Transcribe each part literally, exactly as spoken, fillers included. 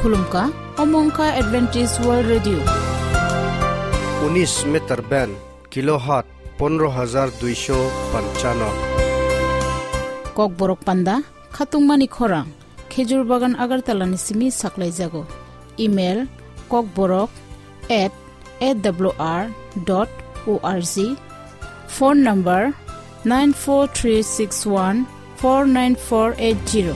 Khulumkha, omo wngkha Adventist World Radio. Unis meter band, kilohertz pondro hajar duisho panchano. Kokborok panda, khatungmani khorang, Khejur Bagan Agartala ni simi saklaijago. Email, kokborok at A W R dot O R G. Phone number, nine four three six one four nine four eight zero.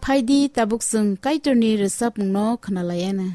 Phaidi tabuk chwng Kaitorni rwchapmungno khwnalaiyana.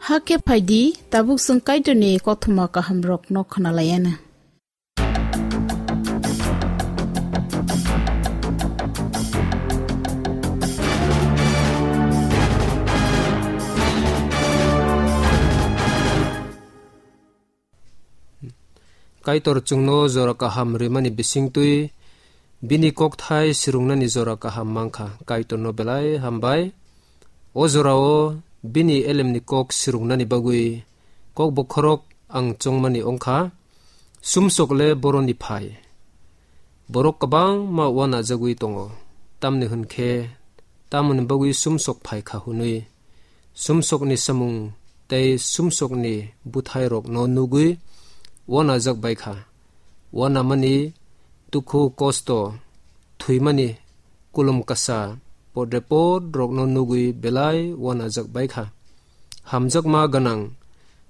Hakhe phaidi, tabuk chwng Kaitorni kothoma kahamrokno khwnalaianw. Kaitor chwngno jora kaham rimani bisingtwi bini kokthai swrwngnani jora kaham mankha. Kaitorno belai hambai. O jorao bini elemni kok swrwngnani bagwi kok bokhorok ang chongmani wngkha. Sumsok le boroni phai. Borok kwbangma uanajagwi tongo. Tamni hwn khe, tamoni bagwi sumsok phai kha hwnwi. Sumsokni samung tei sumsokni bwthairokno nugwi uanajak bai kha. Uanamani, dukhu, kosto, thwimani, kulum kasa, podrepot rokno nugwi belai uanajak bai kha. Hamjakma gwnang,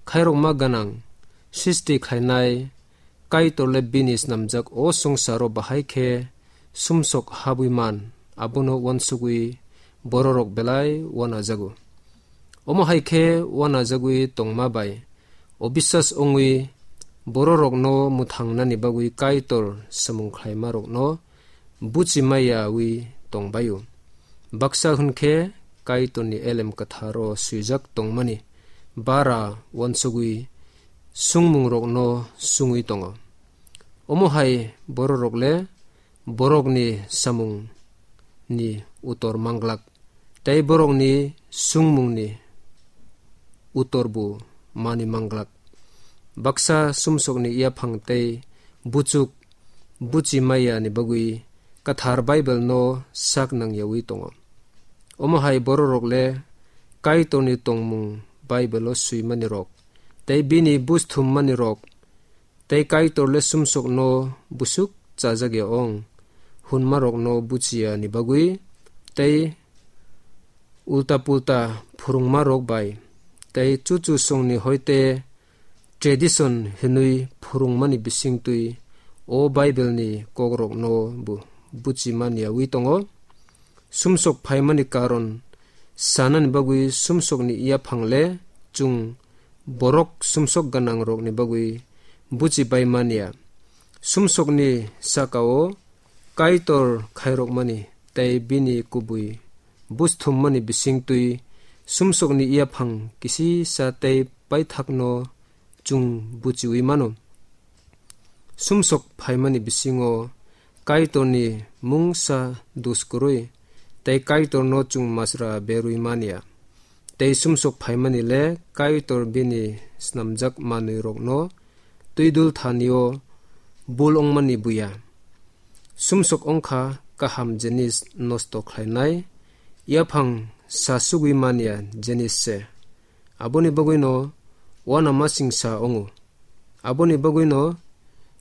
khairokma gwnang, sristi khlainai, Kaitor le bini snamjak o swngcharo bahai khe sumsok habwi man, abono uansugwi bororok belai uanajago. Omo hai khe uanajagwi tongma bai obiswas wngwi bororokno mwthangnani bagwi Kaitor samung khlaimarokno buchi maiyawi tongbaio. Baksa hwn khe Kaitorni elem kwtharo swijak tongmani bara uansugwi sungmungrokno sungwi tongo. Omo hai bororok le borokni samungni utor manglak, tei borokni sungmungni utor bo mani manglak. Baksa sumsokni yaphang tei buchuk buchi maiya ni bagwi Kwthar Bible no sak nangyawi tongo. Omo hai bororok le Kaitorni tongmung Bible o swimani rok tei bini buj thummani rok tei Kaitor le sumsokno busuk chajak ya ong hwnmarokno buchiya ni bagwi tei ulta pulta phwrwngmarok bai tei chuchu songni hoite tradition hwnwi phwrwngmani bisingtwi o Bible ni kokrokno bo buchimani yawi tongo. Sumsok phaimani karon sanani bagwi sumsokni yaphang le chwng borok sumsok gwnangrokni bagwi buchi bai manya. Sumsokni sakao Kaitor khairokmani tei bini kubui buj thummani bisingtwi sumsokni yaphang kisisa tei paithakno chwng buchiwi mano. Sumsok phaimani bisingo Kaitorni mungsa dus kwrwi tei Kaitorno chwng masra berwi manya. Tei sumsok phaimani le Kaitor bini snamjak manwirokno twidul thanio bul wngmani buya. Sumsok wngkha kaham jinis nosto khlainai, yaphang sasugwi manya jinis se. Aboni bagwino uanamasingsa wngo. Aboni bagwino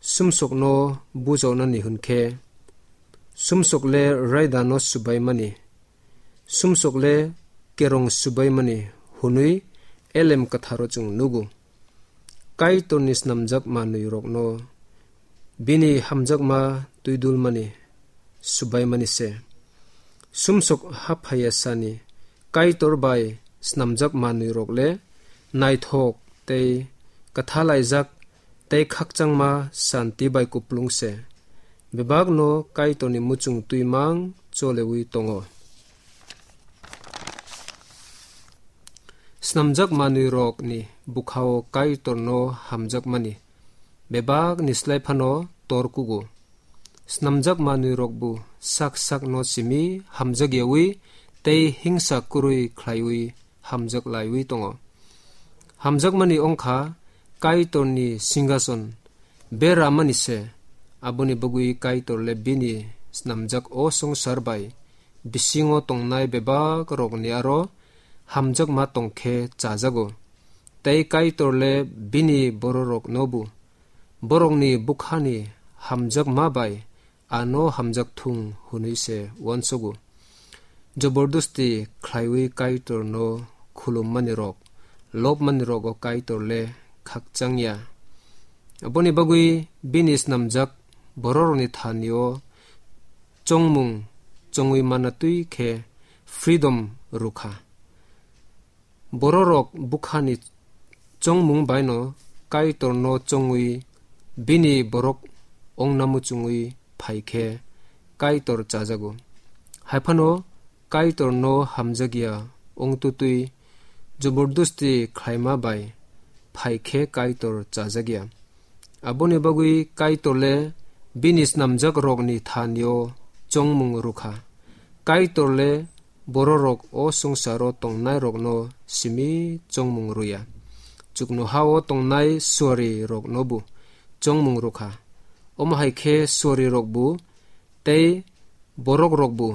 sumsokno bujaunani hwn khe, sumsok le raidano subaimani, sumsok le kerong subaimani hwnwi elem kwtharo chwng nugo. Kaitorni snamjak manwirokno bini hamjakma twidulmani subaimani se. Sumsok haphaya sani Kaitor bai snamjak manwirok le naithok tei kwthalaijak tei khakchangma santi bai kuplung se. Bebakno Kaitorni muchung twimang cholewi tongo. Snamjak manwirokni bukhao Kaitorno hamjakmani bebakni slai phano tor kugo. Snamjak manwirokbo sak sakno simi hamjakyawi tei hingsa kwrwi khlaiwi hamjak laiwi tongo. Hamjakmani wngkha Kaitorni singhason beramani se, aboni bagwi Kaitor le bini snamjak o swngchar bai bisingo tongnai bebak rokni aro hamjakma tongkhe chajago. Tei Kaitor le bini bororoknobo borokni bukhani hamjakma bai ano hamjak thung hwnwi se uansugo. Jobordosti khlaiwi Kaitorno khulummani rok, lobmani rogo Kaitor le khakchangya. Aboni bagwi bini snamjak bororokni thanio chongmung chongwi manna twi khe freedom rwkha. Bororok bukhani chongmung baino Kaitorno chongwi bini borok ongna muchungwi phai khe Kaitor chajago. Haiphano Kaitorno hamjakya ongtutwi jobordosti khlaima bai phai khe Kaitor chajakya. Aboni bagwi Kaitor le bini snamjakrokni thani-o chongmung rwkha. Kaitor le bororok o swngcharo tongnairokno simi chongmung rwya. Chuknoha-o tongnai suariroknobo chongmung rwkha. Omo hai khe suarirokbo tei borokrokbo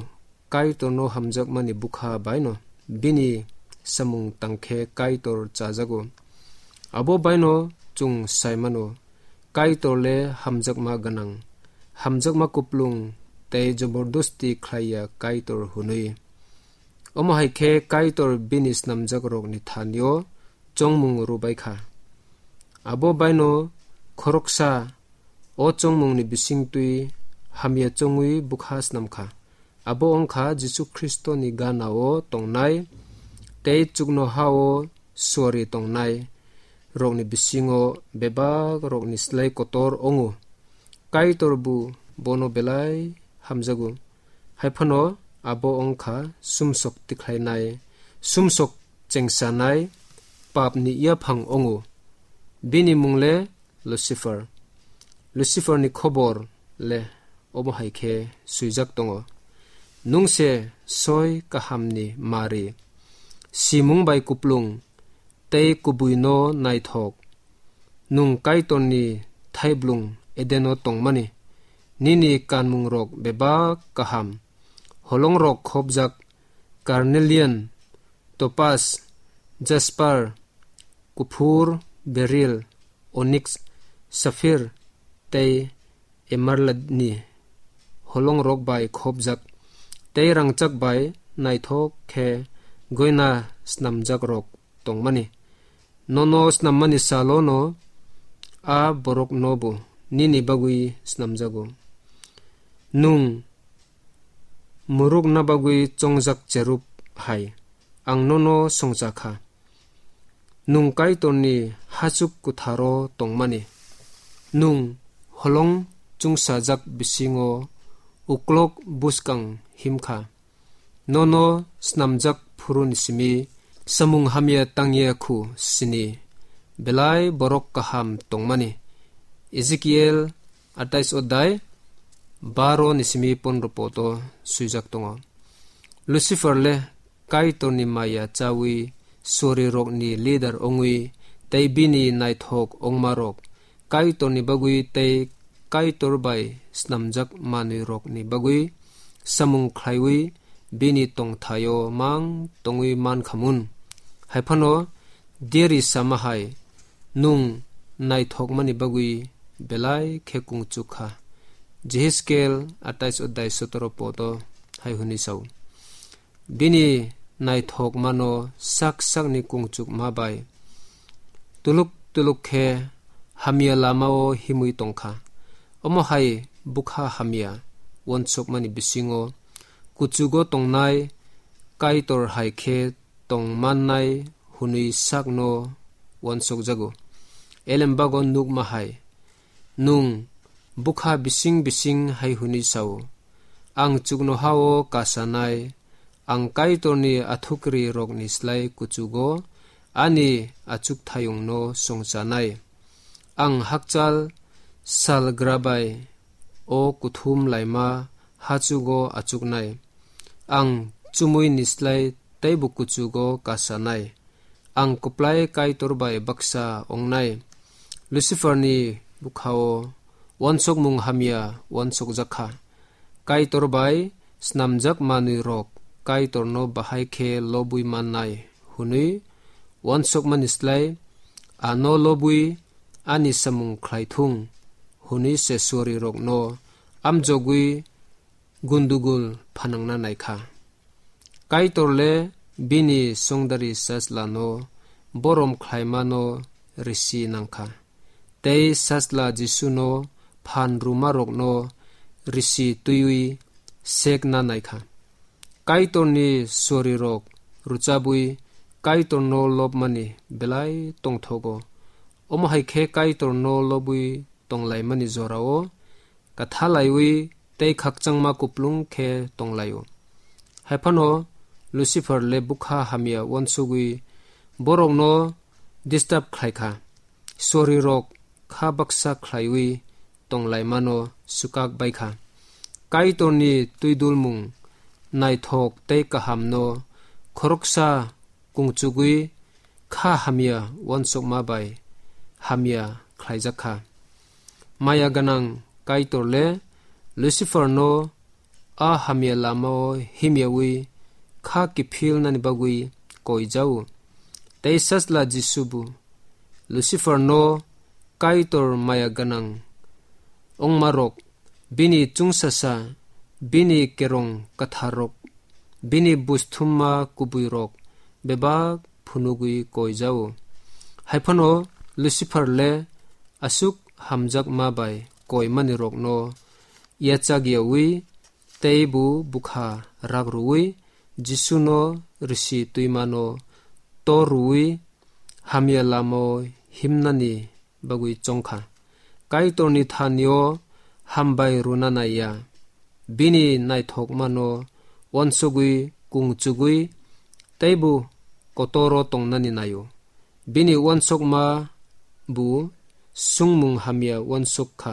Kaitorno hamjakmani bukha baino bini samung tang khe Kaitor chajago. Abo baino chwng sai mano, Kaitor le hamjakma gwnang, hamjakma kuplung tei jobordosti khlaiya Kaitor hwnwi. Omo hai khe Kaitor bini snamjakrokni thani-o chongmung rwbai kha. Abo baino khoroksa o chongmungni bisingtwi hamya chongwi bwkha snam kha. Abo wng kha Jisu Khristoni gana-o tongnai tei chuknoha-o suari tongnai rokni bisingo bebak rokni slai kotor wngo. Kaitor bo bono belai hamjago. Haiphano abo wng kha sumsok tikhlainai, sumsok chengsanai, papni yaphang wngo. Bini mung le Lucifer. Luciferni khobor le omo hai khe swijak tongo: Nwng se soi kahamni mari, simung bai kuplung tei kubuino naithok. Nwng Kaitorni thaiblung Edeno tongmani, nini kanmungrok bebak kaham, holongrok khopjak, carnelian, topaz, jasper, kuphur, beril, oniks, saphir tei emeraldni holongrok bai khopjak, tei rangchak bai naithok khe goina snamjakrok tongmani. Nono snammani salono a boroknobo nini bagwi snamjago. Nwng murukna bagwi chongjak cherub hai, ang nono songcha kha. Nwng Kaitorni hachuk kwtharo tongmani. Nwng holong chungsajak bisingo uklok buskang him kha. Nono snamjak phuruni simi samung hamya tangya khu sini belai borok kaham tongmani. Ezekiel atais odai baro ni simi pondro poto swijak tongo. Lucifer le Kaitorni maya chawi sori rokni leader ongwi tei bini naithok ongmarok Kaitorni bagwi tei Kaitor bai snamjak manwi rokni bagwi samung khlaiwi bini tongthaio mang tongwi mankhamun. Haiphano deri sama hai nwng naithokmani bagwi belai khe kungchuk kha. Jehezkel atais odai sotoro poto hai hwnwi sao. Bini naithokmano sak sakni kungchukma bai tuluk tuluk khe hamya lamao himwi tongkha. Omo hai bwkha hamya uansukmani bisingo kuchugo tongnai Kaitor hai khe tong mannai hwnwi sakno uansukjago. Elembago nukma hai, nwng bwkha bising bising hai hwnwi sao, "Ang chuknohao kasanai, ang Kaitorni athukri rokni slai kuchugo ani achukthayungno songchanai. Ang hakchal sal grabai o kuthum laima hachugo achuknai. Ang chumui ni slai teibo kuchugo kasanai. Ang kwplai Kaitor bai baksa ongnai." Luciferni bwkhao uansukmung hamya uansukjak kha. Kaitor bai snamjak manwi rok Kaitorno bahai khe lobwi mannai hwnwi uansukmani slai, "Ano lobwi ani samung khlai thung," hwnwi se sori rokno amjogwi gundugul phanangna naikha. Kaitor le bini songdari sajlano borom khlaimano risi nangkha. Tei sajla Jisuno phan rwmarokno risi twiwi sekna naikha. Kaitorni sorirok rwchabwi Kaitorno lobmani belai tongthogo. Omo hai khe Kaitorno lobwi tonglaimani jorao kathalaiwi tei khakchangma kuplung khe tonglaio. Haiphano Lucifer le bwkha hamya uansugwi borokno disturb khlai kha. Sorirok kha baksa khlaiwi tonglaimano swkak bai kha. Kaitorni twidulmung naithok tei kahamno khoroksa kungchugwi kha hamya uansukma bai hamya khlaijak kha. Maya gwnang Kaitor le Luciferno a hamya lamao himyawi kha kiphilnani bagwi koijao. Tei Sajla Jisubo Luciferno Kaitor maya gwnang wngmarok, bini chwngsasa, bini kerong kwtharrok, bini busthumma kubuirok bebak phunugwi koijao. Haiphano Lucifer le aswk hamjakma bai koimanirokno yachakyawi teibo bwkha rak rwui Jisuno risi twimano tor rwui hamya lamao himnani bagwi chongkha. Kaitorni thanio hambai rwna naiya. Bini naithokmano uansugwi kungchugwi teibo kotoro tongnani naio. Bini uansukma bo sungmung hamya uansuk kha.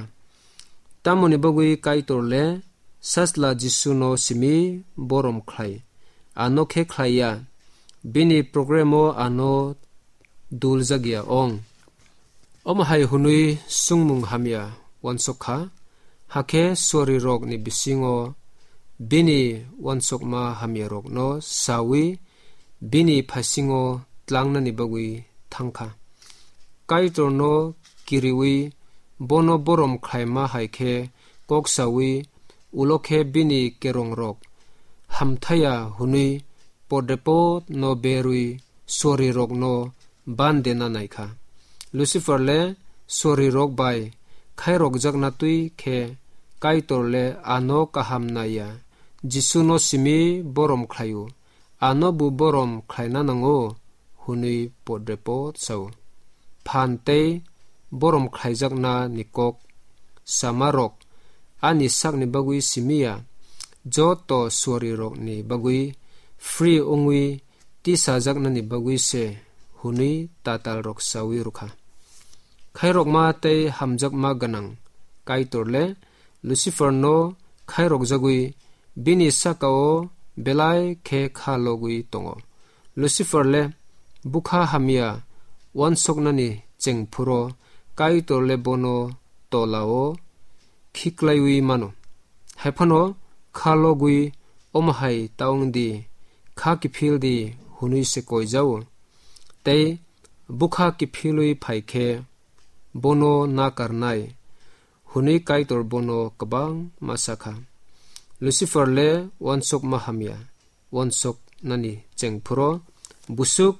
Tamoni bagwi Kaitor le Sajla Jisuno simi borom khlai. Ano khe khlaiya. Bini programo ano dul jagya ong. Omo hai hwnwi sungmung hamya uansuk kha, hakhe sorirokni bisingo bini uansukma hamyarokno saui bini phaisingo tlangnani bagwi thang kha. Kaitorno kiriui bono borom khlaima hai khe kok saui ulo khe bini kerongrok hamthaya hwnwi podrepot no berwi sorirokno bandena naikha. Lucifer le sorirok bai khairokjakna twi khe Kaitor le ano kaham naiya, Jisuno simi borom khlaio, ano bo borom khlaina nango hwnwi podrepot sao. Phan tei borom khlaijakna ni kok samarok ani sakni bagwi simiya, joto suarirokni bagwi free wngwi tisajaknani bagwi se hwnwi tatalrok saui rwkha. Khairokma tei hamjakma gwnang Kaitor le Lucifer no khairokjagwi bini sakao belai khe kha logwi tongo. Lucifer le bwkha hamya uansuknani chengphuro Kaitor le bono tolao khiklaiwi mano. Haiphano kha logwi omo hai ta wng di, kha kiphil di hwnwi se koijao. Tei bwkha kiphilwi phai khe bono nakarnai hwnwi Kaitor bono kwbangma sakha. Lucifer le uansukma hamya uansuknani chengphuro busuk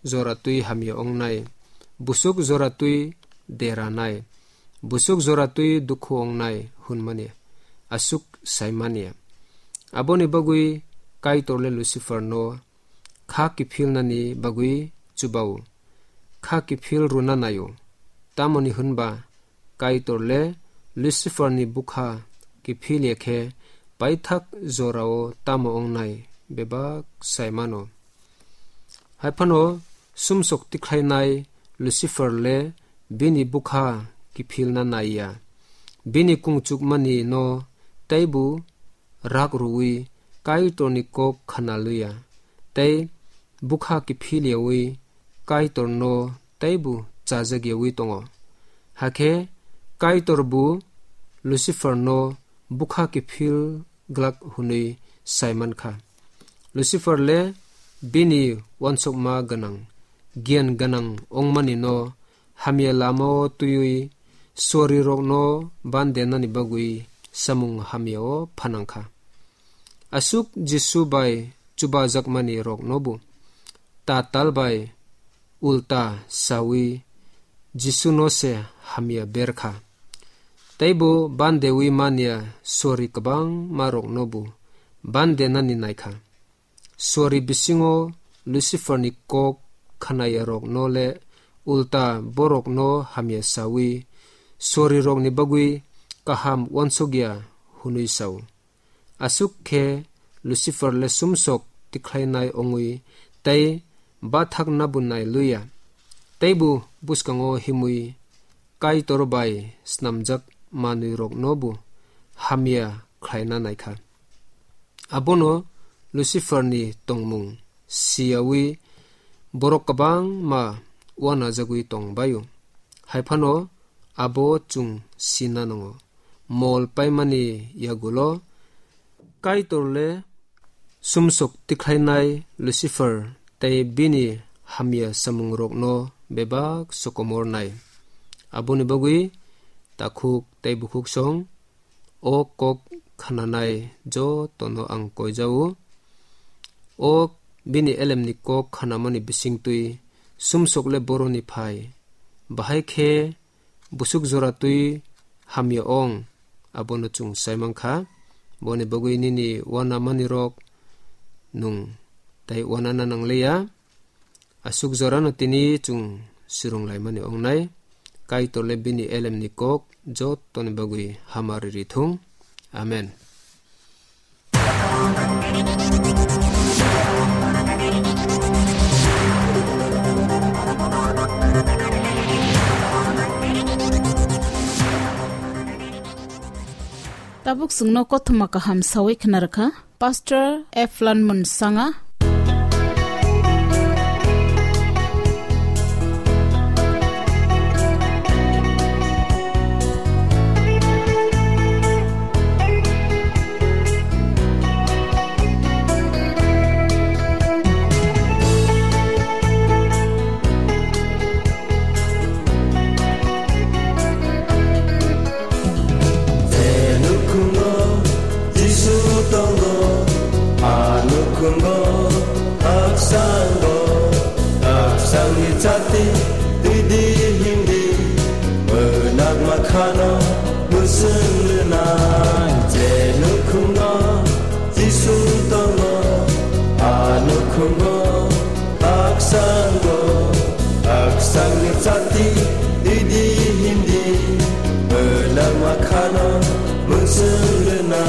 jora twi hamya wngnai, busuk jora twi deranai, busuk jora twi dukhu wngnai hwnmani aswk saimani. Aboni bagwi Kaitor le Lucifer no kha kiphilnani bagwi chubao, kha kiphil rwna naio. Tamoni hwnba Kaitor le Lucifer ni bwkha kiphil ya khe paithak jorao tamo wngnai bebak saimano. Haiphano sumsok tikhlainai Lucifer le bini bwkha kiphilna naiya. Bini kungchukmani no teibo rak rwui Kaitorni kok khna luya, tei bwkha kiphil yaui Kaitorno teibo chajak yaui tongo. Hakhe Kaitor bo Luciferno bwkha kiphil glak hwnwi sai man kha. Lucifer le bini uansukma gwnang, giyan gwnang wngmani no hamya lamao twiwi suarirokno bandenani bagwi samung hamyao phanang kha. Aswk Jisu bai chubajakmani roknobo tatal bai ulta sawi Jisuno se hamya ber kha. Teibo bandewi manya suari kwbangma roknobo bandenani nai kha. Suari bisingo Luciferni kok khnayarokno le ulta borokno hamya saui, sorirokni bagwi kaham uansukya hwnwi sao. Aswk khe Lucifer le sumsok tikhlainai wngwi tei bathakna bo nai luya, teibo bwskango himwi Kaitor bai snamjak manwirokno bo hamya khlaina naikha. Abono Luciferni tongmung siyaui borok kwbangma uanajagwi tongbaio. Hai phano abo chwng sina nango, mol paimani yagulo Kaitor le sumsok tikhlainai Lucifer tei bini hamya samungrokno bebak sokomornai. Aboni bagwi takhuk tei bukhuk song o kok khnanai jotono ang koijao. O bini elemni kok khnamani bisingtwi sumsok le boroni phai. Bahai khe busuk jora twi hamya ong, abono chwng sai mankha. Boni bagwi nini uanamanirok nwng tei uanana nangliya. Aswk jorano tini chwng swrwnglaimani ongnai. Kaitor le bini elemni kok jottoni bagwi hamari rithung. Amen. Tabuk chwngno kothoma kaham sawi khna rwkha Pastor Eflan Munsanga. Je nukhungo Jisu tongo, a nukhungo haksango, haksangni chati twi di himdi, mwnakma khano mwswng rwnai. Je nukhungo Jisu tongo, a nukhungo haksango, haksangni chati twi di himdi, mwnakma khano mwswng rwna.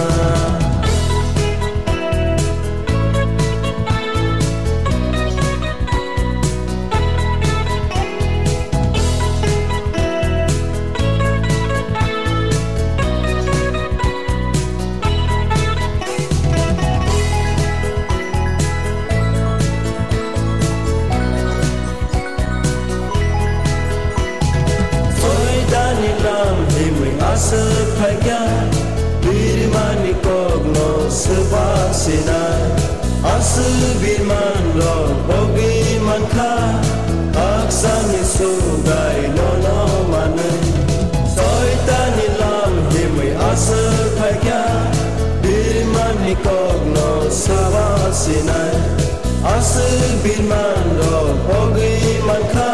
Soitani lam himwi aswk phaikha, birmani kokno swba sinai. Aswk birman rok bogwi mankha, hakchangni sugai nono manwi. Soitani lam himwi aswk phaikha, birmani kokno swba sinai. Aswk birman rok bogwi mankha,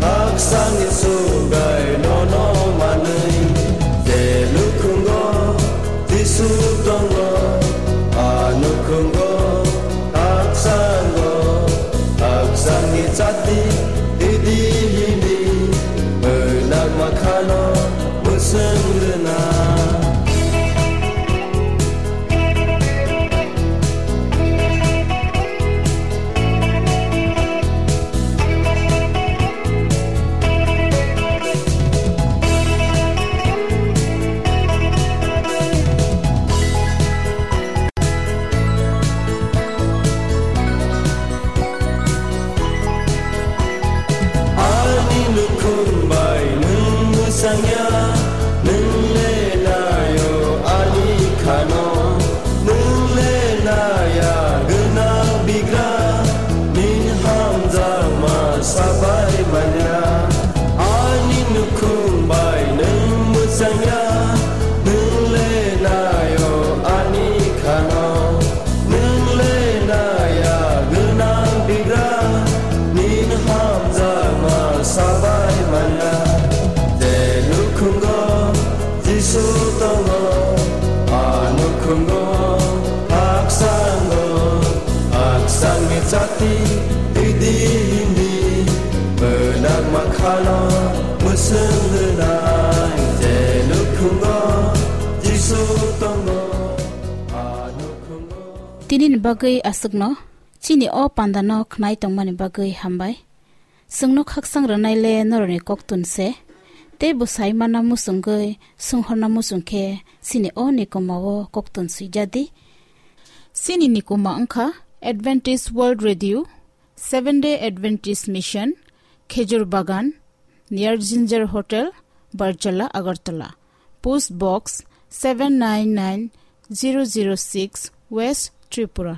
hakchangni sugai nono manwi. Je nukhungo Jisu tongo, a nukhungo hakchango, hakchangni chati twi di himdi, mwnakma khano mwswng rwna. Jati didi hindi benak makhano musung denai je nukhungo Jisu tongo, a nukhungo. Tini ni bagwi aswkno, chini o panda no khnai tongmani bagwi hambai. Chwngno khaksang rwnai le norokni koktun se. Tei bwsai mana muchungwi, sunghorna muchung khe chini o nikoma o koktun swijadi. Chini nikoma wngkha Adventist World Radio, Seven Day Adventist Mission, Khejur Bagan, near Ginger Hotel, Barjala, Agartala. Post Box seven nine nine zero zero six, West Tripura.